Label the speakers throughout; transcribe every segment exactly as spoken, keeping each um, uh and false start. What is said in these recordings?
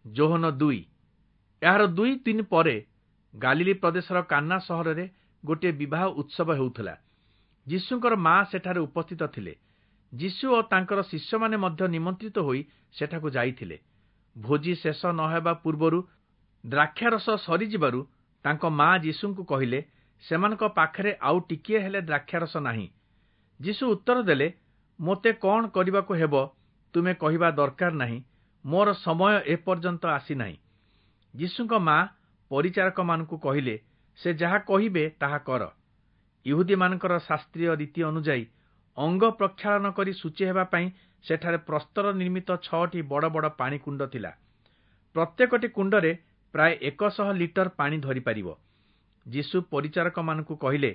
Speaker 1: ଯୋହନ ଦୁଇ। ଏହାର ଦୁଇ ଦିନ ପରେ ଗାଲିଲି ପ୍ରଦେଶର କାନ୍ନା ସହରରେ ଗୋଟିଏ ବିବାହ ଉତ୍ସବ ହେଉଥିଲା। ଯୀଶୁଙ୍କର ମା ସେଠାରେ ଉପସ୍ଥିତ ଥିଲେ। ଯୀଶୁ ଓ ତାଙ୍କର ଶିଷ୍ୟମାନେ ମଧ୍ୟ ନିମନ୍ତ୍ରିତ ହୋଇ ସେଠାକୁ ଯାଇଥିଲେ। ଭୋଜି ଶେଷ ନ ହେବା ପୂର୍ବରୁ ଦ୍ରାକ୍ଷାରସ ସରିଯିବାରୁ ତାଙ୍କ ମା ଯୀଶୁଙ୍କୁ କହିଲେ, ସେମାନଙ୍କ ପାଖରେ ଆଉ ଟିକିଏ ହେଲେ ଦ୍ରାକ୍ଷାରସ ନାହିଁ। ଯୀଶୁ ଉତ୍ତର ଦେଲେ, ମୋତେ କଣ କରିବାକୁ ହେବ ତୁମେ କହିବା ଦରକାର ନାହିଁ, ମୋର ସମୟ ଏପର୍ଯ୍ୟନ୍ତ ଆସିନାହିଁ। ଯୀଶୁଙ୍କ ମା ପରିଚାରକମାନଙ୍କୁ କହିଲେ, ସେ ଯାହା କହିବେ ତାହା କର। ଇହୁଦୀମାନଙ୍କର ଶାସ୍ତ୍ରୀୟ ରୀତି ଅନୁଯାୟୀ ଅଙ୍ଗ ପ୍ରକ୍ଷାଳନ କରି ଶୁଚି ହେବା ପାଇଁ ସେଠାରେ ପ୍ରସ୍ତର ନିର୍ମିତ ଛଅଟି ବଡ଼ ବଡ଼ ପାଣି କୁଣ୍ଡ ଥିଲା। ପ୍ରତ୍ୟେକଟି କୁଣ୍ଡରେ ପ୍ରାୟ ଏକଶହ ଲିଟର ପାଣି ଧରିପାରିବ। ଯୀଶୁ ପରିଚାରକମାନଙ୍କୁ କହିଲେ,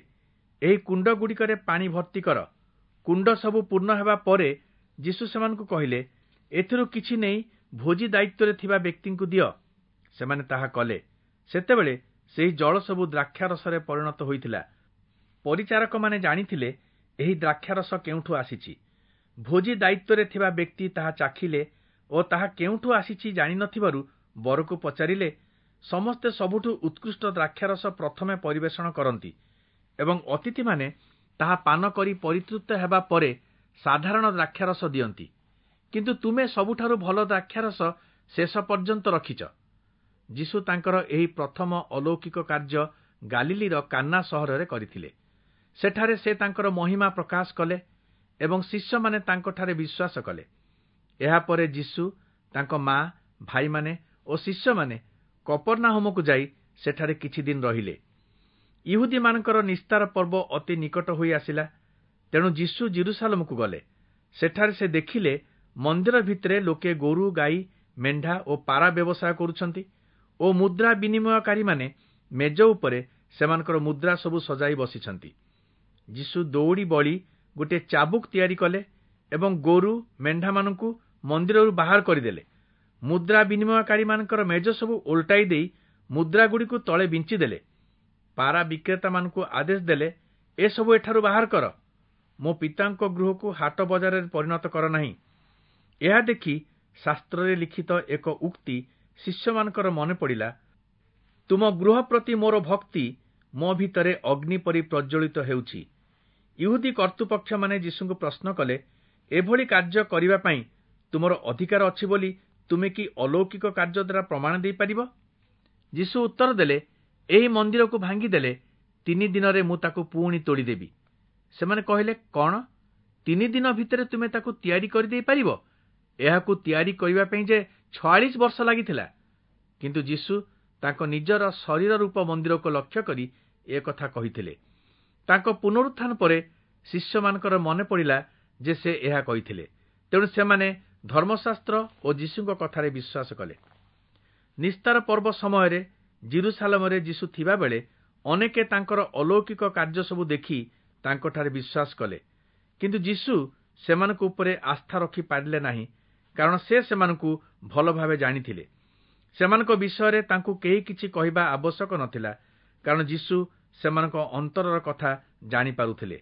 Speaker 1: ଏହି କୁଣ୍ଡଗୁଡ଼ିକରେ ପାଣି ଭର୍ତ୍ତି କର। କୁଣ୍ଡ ସବୁ ପୂର୍ଣ୍ଣ ହେବା ପରେ ଯୀଶୁ ସେମାନଙ୍କୁ କହିଲେ, ଏଥିରୁ କିଛି ନେଇ ଭୋଜି ଦାୟିତ୍ୱରେ ଥିବା ବ୍ୟକ୍ତିଙ୍କୁ ଦିଅ। ସେମାନେ ତାହା କଲେ। ସେତେବେଳେ ସେହି ଜଳ ସବୁ ଦ୍ରାକ୍ଷାରସରେ ପରିଣତ ହୋଇଥିଲା। ପରିଚାରକମାନେ ଜାଣିଥିଲେ ଏହି ଦ୍ରାକ୍ଷାରସ କେଉଁଠୁ ଆସିଛି। ଭୋଜି ଦାୟିତ୍ୱରେ ଥିବା ବ୍ୟକ୍ତି ତାହା ଚାଖିଲେ ଓ ତାହା କେଉଁଠୁ ଆସିଛି ଜାଣିନଥିବାରୁ ବରକୁ ପଚାରିଲେ, ସମସ୍ତେ ସବୁଠୁ ଉତ୍କୃଷ୍ଟ ଦ୍ରାକ୍ଷାରସ ପ୍ରଥମେ ପରିବେଷଣ କରନ୍ତି ଏବଂ ଅତିଥିମାନେ ତାହା ପାନ କରି ପରିତୃପ୍ତ ହେବା ପରେ ସାଧାରଣ ଦ୍ରାକ୍ଷାରସ ଦିଅନ୍ତି, କିନ୍ତୁ ତୁମେ ସବୁଠାରୁ ଭଲ ଦ୍ରାକ୍ଷାରସ ଶେଷ ପର୍ଯ୍ୟନ୍ତ ରଖିଛ। ଯୀଶୁ ତାଙ୍କର ଏହି ପ୍ରଥମ ଅଲୌକିକ କାର୍ଯ୍ୟ ଗାଲିଲିର କାନ୍ନା ସହରରେ କରିଥିଲେ। ସେଠାରେ ସେ ତାଙ୍କର ମହିମା ପ୍ରକାଶ କଲେ ଏବଂ ଶିଷ୍ୟମାନେ ତାଙ୍କଠାରେ ବିଶ୍ୱାସ କଲେ। ଏହାପରେ ଯୀଶୁ, ତାଙ୍କ ମା, ଭାଇମାନେ ଓ ଶିଷ୍ୟମାନେ କପର୍ନାହୂମକୁ ଯାଇ ସେଠାରେ କିଛି ଦିନ ରହିଲେ। ଇହୁଦୀମାନଙ୍କର ନିସ୍ତାର ପର୍ବ ଅତି ନିକଟ ହୋଇ ଆସିଲା। ତେଣୁ ଯୀଶୁ ଯିରୂଶାଲମକୁ ଗଲେ। ସେଠାରେ ସେ ଦେଖିଲେ ମନ୍ଦିର ଭିତରେ ଲୋକେ ଗୋରୁ, ଗାଈ, ମେଣ୍ଢା ଓ ପାରା ବ୍ୟବସାୟ କରୁଛନ୍ତି ଓ ମୁଦ୍ରା ବିନିମୟକାରୀମାନେ ମେଜ ଉପରେ ସେମାନଙ୍କର ମୁଦ୍ରା ସବୁ ସଜାଇ ବସିଛନ୍ତି। ଯୀଶୁ ଦଉଡ଼ି ବଳି ଗୋଟିଏ ଚାବୁକ ତିଆରି କଲେ ଏବଂ ଗୋରୁ ମେଣ୍ଢାମାନଙ୍କୁ ମନ୍ଦିରରୁ ବାହାର କରିଦେଲେ। ମୁଦ୍ରା ବିନିମୟକାରୀମାନଙ୍କର ମେଜ ସବୁ ଓଲଟାଇ ଦେଇ ମୁଦ୍ରାଗୁଡ଼ିକୁ ତଳେ ବିଞ୍ଚିଦେଲେ। ପାରା ବିକ୍ରେତାମାନଙ୍କୁ ଆଦେଶ ଦେଲେ, ଏସବୁ ଏଠାରୁ ବାହାର କର, ମୋ ପିତାଙ୍କ ଗୃହକୁ ହାଟ ବଜାରରେ ପରିଣତ କର ନାହିଁ। ଏହା ଦେଖି ଶାସ୍ତ୍ରରେ ଲିଖିତ ଏକ ଉକ୍ତି ଶିଷ୍ୟମାନଙ୍କର ମନେ ପଡ଼ିଲା, ତୁମ ଗୃହ ପ୍ରତି ମୋର ଭକ୍ତି ମୋ ଭିତରେ ଅଗ୍ନି ପରି ପ୍ରଜ୍ୱଳିତ ହେଉଛି। ଇହୁଦୀ କର୍ତ୍ତୃପକ୍ଷମାନେ ଯୀଶୁଙ୍କୁ ପ୍ରଶ୍ନ କଲେ, ଏଭଳି କାର୍ଯ୍ୟ କରିବା ପାଇଁ ତୁମର ଅଧିକାର ଅଛି ବୋଲି ତୁମେ କି ଅଲୌକିକ କାର୍ଯ୍ୟ ଦ୍ୱାରା ପ୍ରମାଣ ଦେଇପାରିବ? ଯୀଶୁ ଉତ୍ତର ଦେଲେ, ଏହି ମନ୍ଦିରକୁ ଭାଙ୍ଗିଦେଲେ ତିନି ଦିନରେ ମୁଁ ତାକୁ ପୁଣି ତୋଳିଦେବି। ସେମାନେ କହିଲେ, କଣ ତିନି ଦିନ ଭିତରେ ତୁମେ ତାକୁ ତିଆରି କରିଦେଇ ପାରିବ? ଏହାକୁ ତିଆରି କରିବା ପାଇଁ ଯେ ଛୟାଳିଶ ବର୍ଷ ଲାଗିଥିଲା। କିନ୍ତୁ ଯୀଶୁ ତାଙ୍କ ନିଜର ଶରୀର ରୂପ ମନ୍ଦିରକୁ ଲକ୍ଷ୍ୟ କରି ଏକଥା କହିଥିଲେ। ତାଙ୍କ ପୁନରୁତ୍ଥାନ ପରେ ଶିଷ୍ୟମାନଙ୍କର ମନେ ପଡ଼ିଲା ଯେ ସେ ଏହା କହିଥିଲେ। ତେଣୁ ସେମାନେ ଧର୍ମଶାସ୍ତ୍ର ଓ ଯୀଶୁଙ୍କ କଥାରେ ବିଶ୍ୱାସ କଲେ। ନିସ୍ତାର ପର୍ବ ସମୟରେ ଯିରୂଶାଲମରେ ଯୀଶୁ ଥିବାବେଳେ ଅନେକେ ତାଙ୍କର ଅଲୌକିକ କାର୍ଯ୍ୟ ସବୁ ଦେଖି ତାଙ୍କଠାରେ ବିଶ୍ୱାସ କଲେ। କିନ୍ତୁ ଯୀଶୁ ସେମାନଙ୍କ ଉପରେ ଆସ୍ଥା ରଖିପାରିଲେ ନାହିଁ, କାରଣ ସେ ସେମାନଙ୍କୁ ଭଲ ଭାବେ ଜାଣିଥିଲେ। ସେମାନଙ୍କ ବିଷୟରେ ତାଙ୍କୁ କେହି କିଛି କହିବା ଆବଶ୍ୟକ ନଥିଲା, କାରଣ ଯୀଶୁ ସେମାନଙ୍କ ଅନ୍ତରର କଥା ଜାଣିପାରୁଥିଲେ।